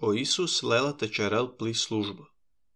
O Isus lela tecerel pli slujbă.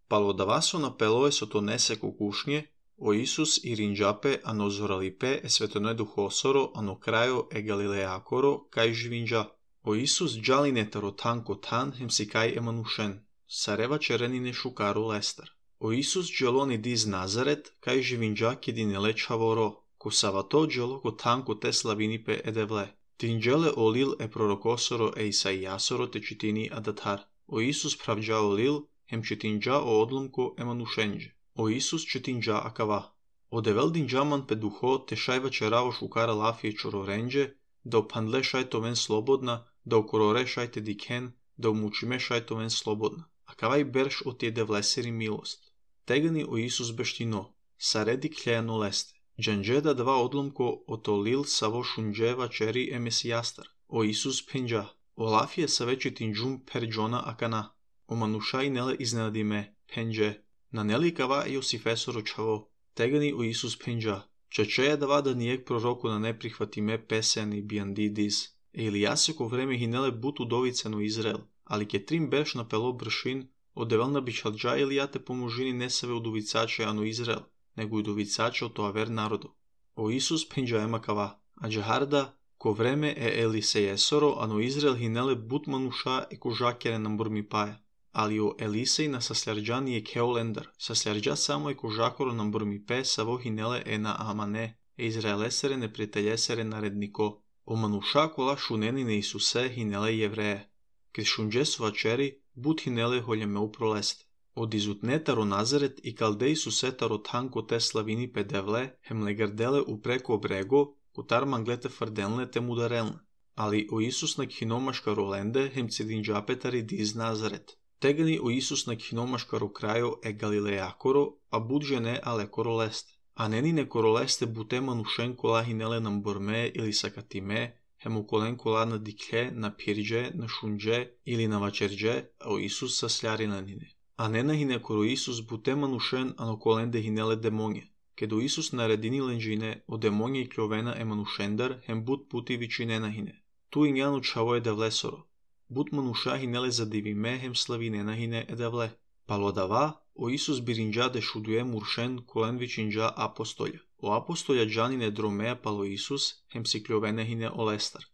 Palodavaso na peloe sotonese cu kušnje, o Isus irinđape ano zoralipe e svetonoj duhosoro ano krajo e Galileakoro kaj živinđa. O Isus džaline tarotanko tan hemsikaj emanušen, sareva čerenine šukaru lester. O Isus dželoni diz Nazaret kaj živinđa kidine lečhavoro, ko savato dželoko tanko te slavinipe edevle. Tinđele olil e prorokosoro e Isaijasoro te čitini adatar. O Isus pravđa olil, hem čitinđa o odlomko emanušenđe. O Isus čitinđa akava. O devel dinđaman pe duho te šajva čerao šukara lafije čororenđe, da opandle šajto ven slobodna, da okorore šajte diken, da umučime šajto ven slobodna. Akavaj berš o tije devleseri milost. Tegani o Isus beštino, saredi kljeno leste. Džanđeda dva odlomko otolil savo šunđeva čeri e mesijastar. O Isus penđa. O lafije sa veći tinđum per džona akana. O manušaj nele iznenadime, penđe. Na nelikava Josifesoro čavo. Tegani o Isus penđa. Čačeja dva da nijek proroku na neprihvatime peseni biandidis. Ili jaseko vreme hinele but udovicenu Izrael. Ali ke trim berš na pelo bršin, odevelna bičalđa Ilijate pomožini nesave udovicače ano Izrael, nego udovicače o to aver narodu. O Isus penđa emakava, a džaharda, ko vreme e Elisejesoro ano Izrael hinele but manuša e kožakere nam burmi paja. Ali o Elisej na sasljarđa nije keolendar, sasljarđa samo e kožakoro nam burmi pe savo hinele e na amane, e Izraelesere neprijateljesere naredniko. O manuša kola šunenine Isuse hinele jevreje. Kriz šunđesova čeri, but hinele holjeme uproleste. Od izutnetaro Nazaret i kaldej susetaro tanko te slavini pe devle, hem legardele upreko brego, kutar manglete fardenle te mudarelne. Ali o Isus na khinomaška rolende, hem cidinđapetari diz Nazaret. Tegani o Isus na khinomaškaro krajo e Galileakoro, a bud žene ale koroleste. A nenine koroleste bute manušen kola hinele nam borme ili sakatime, hem ukolen kola na dikhe, na pirđe, na šunđe ili na vačerđe, a o Isus sa sljarinanine. A ne nahine koro Isus bute manušen ano kolende hinele demonje. Kedo Isus naredini lenđine o demonje i kljovena e manušendar, hem but puti vičine nahine. Tu injanu čavo je devlesoro. But manuša hinele zadivime, hem slavine nahine edevle. Palodava, o Isus birinđa de šuduje muršen kolen vičinđa apostolja. O apostolja džanine dromea palo Isus, hem si kljovene hine olestar.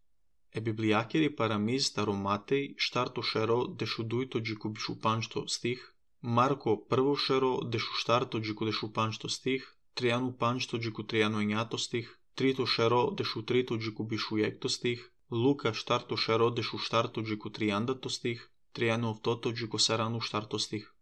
E biblijakeri paramiz taromatej štarto šero dešu dujto džiku bišu panšto stih, Marko prvo šero dešu štarto džiku dešu panšto stih, Trijanu panšto džiku trijano enjato stih, trito šero dešu trito džiku bišu jekto stih, Luka štarto šero dešu štarto džiku trijandato stih, Trijanu ovtoto džiku saranu štarto stih.